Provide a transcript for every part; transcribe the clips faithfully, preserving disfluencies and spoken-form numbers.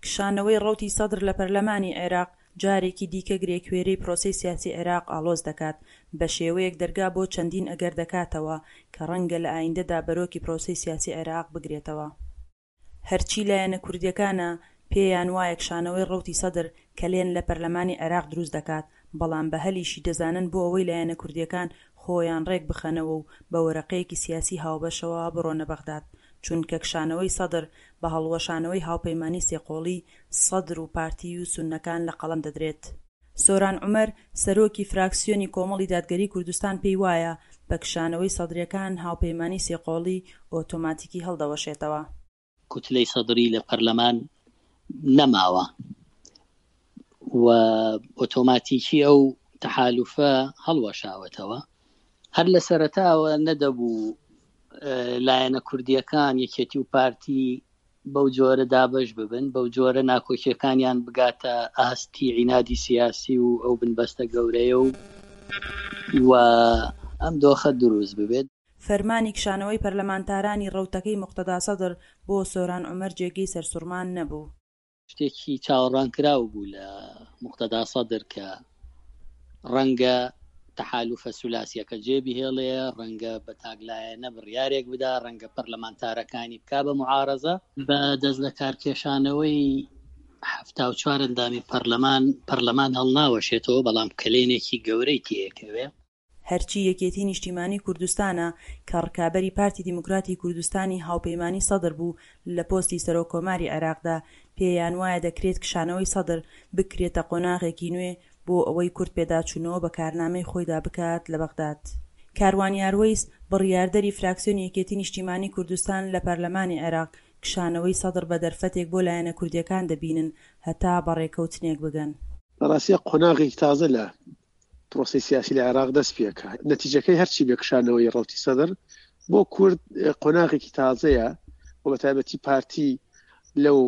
کشانەوەی ڕەوتی سەدر لە پەرلەمانی عێراق، جارێکی دیکە گرێکوێرەی پرۆسەی سیاسی عێراق ئاڵۆز دەکات، بەشێوەیەک دەرگا بۆ چەندین ئەگەر دەکاتەوە کە ڕەنگە لە ئایندەدا بەرۆکی پرۆسەی سیاسی عێراق بگرێتەوە. هەرچی لایەنە کوردییەکانە، پێیان وایە کشانەوەی ڕەوتی سەدر کەلێن لە پەرلەمانی عێراق دروست دەکات، بەڵام بە هەلیشی دەزانن بۆ ئەوەی لایەنە کوردییەکان خۆیان ڕێک بخەنەوە و بە وەرەقەیەکی سیاسی هاوبەشەوە بڕۆنە بەغداد، چونکە کشانەوەی سەدر بە هەڵوەشانەوەی هاوپەیمانی سێقۆڵی سەدر و پارتی و سوننەکان لە قەڵەم دەدرێت. سۆران عومەر، سەرۆکی فراکسیۆنی کۆمەڵی دادگەریی کوردستان پێیوایە، بە کشانەوەی سەدرییەکان هاوپەیمانی سێقۆڵی ئۆتۆماتیکی هەڵدەوەشێتەوە. کوتلەی سەدری لە پەرلەمان نەماوە و ئۆتۆماتیکی ئەو تەحالوفە هەڵوەشاوەتەوە. هەر لە سەرەتاوە نەدەبوو لایەنە کوردییەکان یەکێتی و پارتی بەو جۆرە دابەش ببن، بەو جۆرە ناکۆکیەکانیان بگاتە ئاستی عینادی سیاسی و ئەو بنبەستە گەورەیە و و ئەم دۆخە دروست ببێت. فەرمانی کشانەوەی پەرلەمانتارانی ڕەوتەکەی موقتەدا سەدر بۆ سۆران عومەر جێگەی سەرسوڕمان نەبوو. شتێکی چاوەڕوانکراو بوو لە موقتەدا سەدر کە ڕەنگە تەحالوفە سولاسیەکە جێ بهێڵێ، ڕەنگە بە تاکلایەنە بڕیارێک بدا، ڕەنگە پەرلەمانتارەکانی بکا بە معارەزە. بە دەست لە کارکێشانەوەی حەفتا و چوار ئەندامی پەرلەمان، پەرلەمان هەڵناوەشێتەوە، بەڵام کەلێنێکی گەورەی تێکەوێ. هەرچی یەکێتی نیشتیمانی کوردستانە کە ڕکابەری پارتی دیموکراتی کوردستانی هاوپەیمانی سەدر بوو لە پۆستی سەرۆک کۆماری عێراقدا، پێیان وایە دەکرێت کشانەوەی سەدر بکرێتە قۆناغێکی نوێ بۆ ئەوەی کورد پێداچوونەوە بە کارنامەی خۆیدا بکات لە بەغداد. کاروان یاروەیس، بڕیاردەری فراکسیۆنی یەکێتی نیشتیمانی کوردستان لە پەرلەمانی عێراق، کشانەوەی سەدر بە دەرفەتێک بۆ لایەنە کوردییەکان دەبینن هەتا بە ڕێکەوتنێک بگەن. لە ڕاستیا قۆناغێکی تازە لە پرۆسەی سیاسی لە عێراق دەست پێکا، نەتیجەکەی هەرچی بێ کشانەوەی ڕەوتی سەدر بۆ کورد قۆناغێکی تازەیە و بە تایبەتی پارتی لەو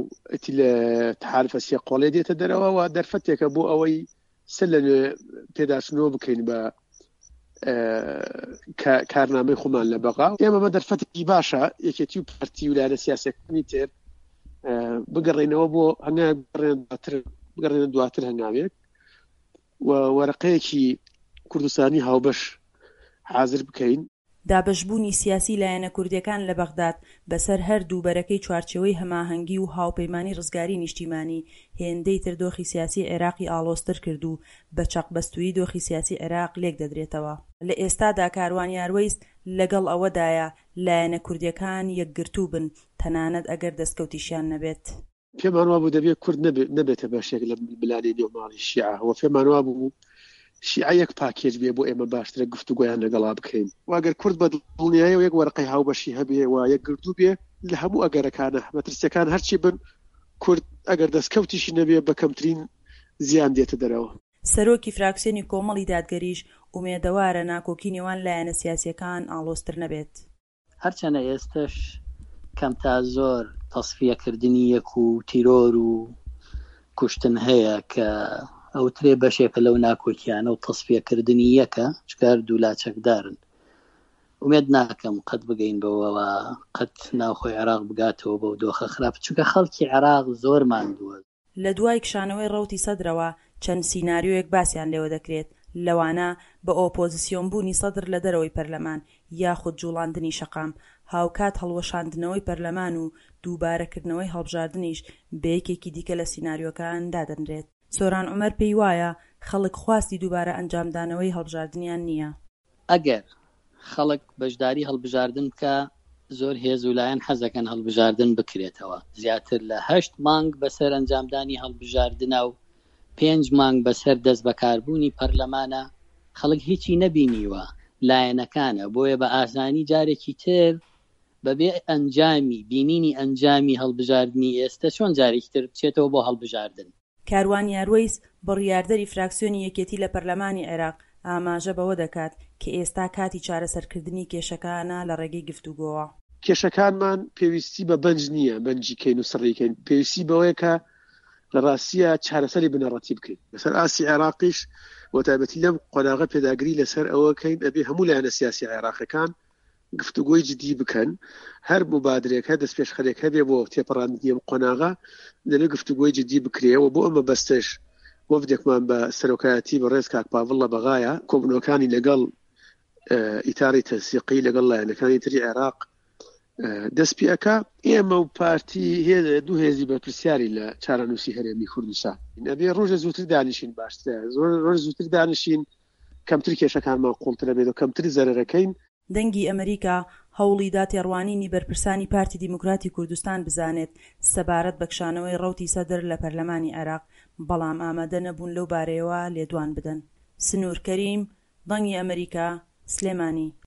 تەحالفە سێ قۆڵێ دێتە دەرەوە و دەرفەتێکە بۆ ئەوەی سەر لە نوێ پێداچنەوە بکەین بە کارنامەی خۆمان لە بەغا. ئێمە بە دەرفەتێکی باشە یەکێتی و پارتی و لایەنە سیاسیەکانی تر بگەڕێنەوە بۆ هەنگاوێک بگەڕێنە دواتر هەنگاوێک و وەرەقەیەکی کوردستانی هاوبەش حاضر بکەین. دابەشبوونی سیاسی لایەنە کوردییەکان لە بەغداد بەسەر هەردوو بەرەکەی چوارچێوەی هەماهەنگی و هاوپەیمانی ڕزگاری نیشتیمانی هێندەی تر دۆخی سیاسی عێراقی ئاڵۆزتر کرد و بە چەقبەستوویی دۆخی سیاسی عێراق لێکدەدرێتەوە. لە ئێستادا کاروان یاروەیس لەگەڵ ئەوەدایە لایەنە کوردییەکان یەکگرتوو بن تەنانەت ئەگەر دەستکەوتیشیان نەبێت. پێمان وابوو دەبێت کورد نەبێتە بەشێک لە ململانێی نێو ماڵی شیعە و پێمان وابوو شیعە یەک پاکێج بێ بۆ ئێمە باشترە گفتوگۆیان لەگەڵا بکەین و ئەگەر کورد بە دڵنیایەوە یەک وەرەقەی هاوبەشی هەبێ و یەکگرتوو بێ لە هەموو ئەگەرەکانە مەترسیەکان هەرچی بن کورد ئەگەر دەستکەوتیشی نەبێ بە کەمترین زیان دێتە دەرەوە. سەرۆکی فراکسیۆنی کۆمەڵی دادگەریش ئومێدەوارە ناکۆکی نێوان لایەنە سیاسییەکان ئاڵۆزتر نەبێت. هەرچەنە ئێستەش کەم تا زۆر تەسفیەکردنی یەک و تیرۆر و کوشتن هەیە کە ئەوترێ بەشێکە لەو ناکۆکیانە و تەسفیەکردنی یەکە، چونکە هەردوو لا چەکدارن. ئومێد ناکەم قەت بگەین بەوەوە قەت ناوخۆی عێراق بگاتەوە بەو دۆخە خراپ، چونکە خەڵکی عێراق زۆر ماندووە. لە دوای کشانەوەی ڕەوتی سەدرەوە چەند سیناریۆیەک باسیان لێوە دەکرێت، لەوانە بە ئۆپۆزسیۆنبوونی سەدر لە دەرەوەی پەرلەمان یاخود جوڵاندنی شەقام، هاوکات هەڵوەشاندنەوەی پەرلەمان و دووبارەکردنەوەی هەڵبژاردنیش بە یەکێکی دیکە لە سیناریۆکان دادەنرێت. سۆران عومەر پێیوایە، خەڵک خواستی دووبارە ئەنجامدانەوەی هەڵبژاردنیان نییە. ئەگەر خەڵک بەشداری هەڵبژاردن بکا، زۆر هێز و لایەن حەزەکەن هەڵبژاردن بکرێتەوە. زیاتر لە هەشت مانگ بەسەر ئەنجامدانی هەڵبژاردنە و پێنج مانگ بەسەر دەستبەکاربوونی پەرلەمانە، خەڵک هیچی نەبینیوە، لایەنەکانە، بۆیە بە ئاسانی جارێکی تر بەبێ ئەنجامی بینینی ئەنجامی هەڵبژاردنی ئێستە چۆن جارێکی تر بچێتەوە بۆ هەڵبژاردن. کاروان یاروەیس، بڕیاردەری فراکسیۆنی یەکێتی لە پەرلەمانی عێراق، ئاماژە بەوە دەکات کە ئێستا کاتی چارەسەرکردنی کێشەکانە لە ڕێگەی گفتوگۆوە. کێشەکانمان پێویستی بە بەنج نییە، بەنجی کەین و سڕی کەین، پێویستی بەوەیە کە لە ڕاستیە چارەسەری بنەڕەتی بکەین. لەسەر ئاستی عێراقیش بە تایبەتی لەم قۆناغە پێداگری لەسەر ئەوە کەین ئەبێ هەموو لایەنە سیاسی عێراقیەکان گفتوگۆی جدی بکەن، هەر موبادرێک، هەر دەستپێشخەرێک هەبێ بۆ تێپەڕاندنی ئەم قۆناغە، دەبێ گفتوگۆی جدی بکرێ و بۆ ئەم مەبەستەش وەفدێکمان بە سەرۆکایەتی بەڕێز کاک پاڤڵ لە بەغایە، کۆبوونەوەکانی لەگەڵ ئیتاری تەنسیقی لەگەڵ لایەنەکانی تری عێراق دەست پێ ئەکا. ئێمە و پارتی دوو هێزی بەرپرسیارین لە چارەنووسی هەرێمی کوردستان. ئەبێ ڕۆژێ زووتر دانیشین باشترە، ڕۆژ زووتر دانیشین کەمتر کێشەکانمان قوڵتر ئەبێت و کەمتر زەرەرەکەین. دەنگی ئەمەریکا هەوڵیدا تێڕوانینی بەرپرسانی پارتی دیموکراتی کوردستان بزانێت سەبارەت بە کشانەوەی ڕەوتی سەدر لە پەرلەمانی عێراق، بەڵام ئامادە نەبوون لەو بارەیەوە لێدوان بدەن. سنوور کەریم، دەنگی ئەمەریکا، سلێمانی.